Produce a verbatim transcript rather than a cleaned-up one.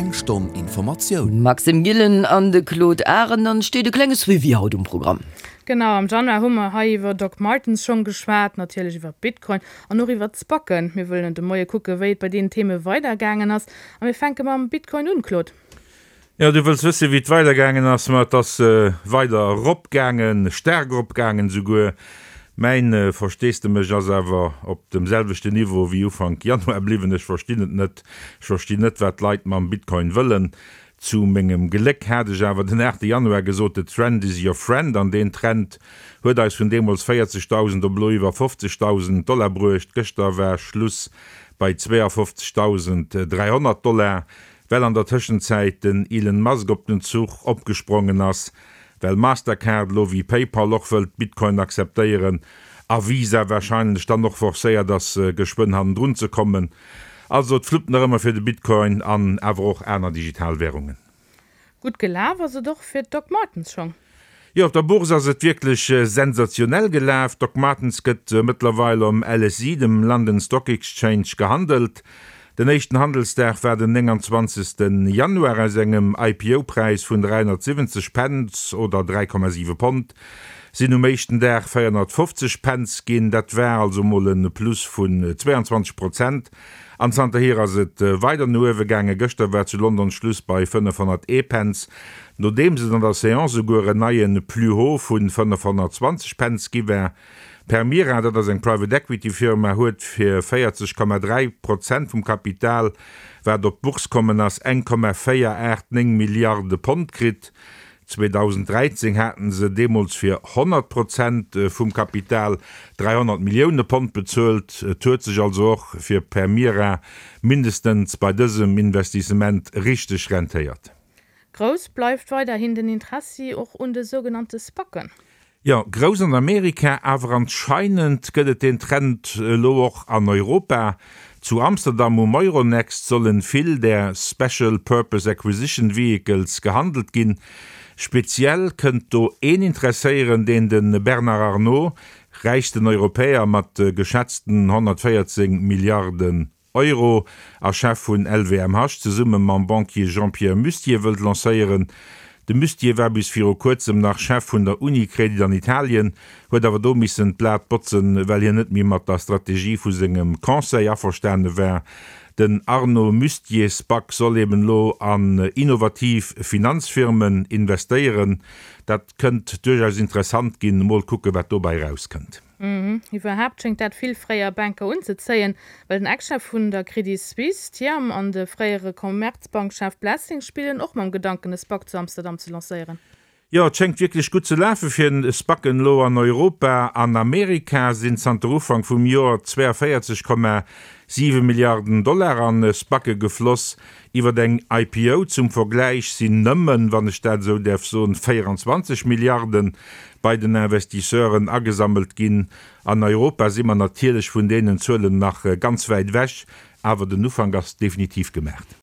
Eng Stonn Informatioun. Maxime Gillen an de Claude Arend steet e klenge Suivi haut um Programm. Genau, am Januar hu mer hei iwwer Doc Martens schonn geschwat, natierlech iwwer Bitcoin an och iwwer d'SPACen. Mir wëllen de Moie kucke wéi et bei deenen Theme weidergaangen ass. A mir fänke mam Bitcoin un, Claude. Jo, du wëlls wësse wéi et weidergaangen ass, ma et ass weider eropgaangen, staark eropgaangen esouguer. Mäin Versteesdemech ass awer op dem selwechten Niveau wéi Ufank Januar bliwwen. Ech verstinn et net. Ech verstinn net, wat d'Leit mam Bitcoin wëllen. Zu mengem Gléck hat ech awer den aachte Januar gesot, The trend is your friend, an deen Trend huet eis vun deemools véierzegdausend op elo iwwer fofzegdausend Dollar bruecht. Gëschter war Schluss bei zweeafofzegdausend dräihonnert Dollar, well an der Tëschenzäit den Elon Musk op den Zuch opgesprongen ass, well Mastercard elo wéi PayPal och wëllt Bitcoin akzeptéieren a Visa warscheinlech dann och forcéiert ass geschwënn hannendrun ze kommen. Also et fluppt nach ëmmer fir de Bitcoin an awer och aner digital Währungen. Gutt gelaf ass et och fir d'Doc Martens schong. Jo, op der Bourse ass et wierklech sensationell gelaf. Doc Martens gëtt mëttlerweil um L S E, dem London Stock Exchange, gehandelt. Den éischten Handelsdag war den nénganzwanzegste Januar. Aus engem I P O-Präis vun dräihonnertsiwwenzeg Pence oder dräi Komma siwe Pond sinn um éischten Dag véierhonnertfofzeg Pence ginn. Dat war also mol e Plus vun zwéianzwanzeg Prozent. An zanterhier ass et weider no uewe gaangen. Gëschter war zu London Schluss bei fënnefhonnerteent Pence, nodeems et an der Seance esouguer en neie Plus haut vu fënnefhonnertzwanzeg Pence gi war. Permira, dat ass eng Private Equity Firma, huet fir véierzeg Komma dräi Prozent vum Kapital, wat op d'Bourse kommen ass, eng Komma véier aacht néng Milliarde Pond kritt. zweedausend dräizéng haten se deemools fir honnert Prozent vum Kapital dräihonnert Millioune Pond bezuelt. Et huet sech also och fir Permira mindestens bei dësem Investissement richteg rentéiert. Grouss bleift weiderhin den Interessi och un de sougenannte SPACen. Jo, grouss an Amerika, awer anscheinend gëtt et den Trend elo och an Europa. Zu Amsterdam um Euronext sollen vill där Special Purpose Acquisition Vehicles gehandelt ginn. Speziell kënnt do een interesséieren, deen de Bernard Arnault, räichsten Europäer mat geschätzten honnertvéierzéng Milliarden Euro a Chef vun L V M H, zesumme mam Banquier Jean-Pierre Mustier wëllt lancéieren. De Mustier war bis viru kuerzem nach Chef vun der Unicredit an Italien, huet awer do missen d'Blat botzen, well hien net méi mat der Strategie vu sengem Conseil averstane war. Den Arnault-Mustier SPAC soll eben elo an innovativ Finanzfirmen investéieren. Dat kënnt duerchaus interessant ginn, mol kucke wat dobäi rauskënnt. Iwwerhaapt schéngt dat vill fréier Banker unzezéien, well den Ex-Chef vun der Credit Suisse, Thiam, an de fréiere Commerzbank-Chef Blessing spillen och mam Gedanken, e SPAC zu Amsterdam ze lancéieren. Jo, et schéngt wierklech gutt ze lafe fir SPACen elo an Europa. An Amerika sinn zanter Ufank vum Joer zwéianvéierzeg Komma siwe Milliarden Dollar an SPACe gefloss. Iwwer eng I P O zum Vergläich sinn nëmmen, wann ech dat esou däerf soen, véieranzwanzeg Milliarden bei den Investisseuren agesammelt ginn. An Europa si mer natierlech vun deenen Zuelen nach ganz wäit ewech, awer den Ufank ass definitiv gemaach.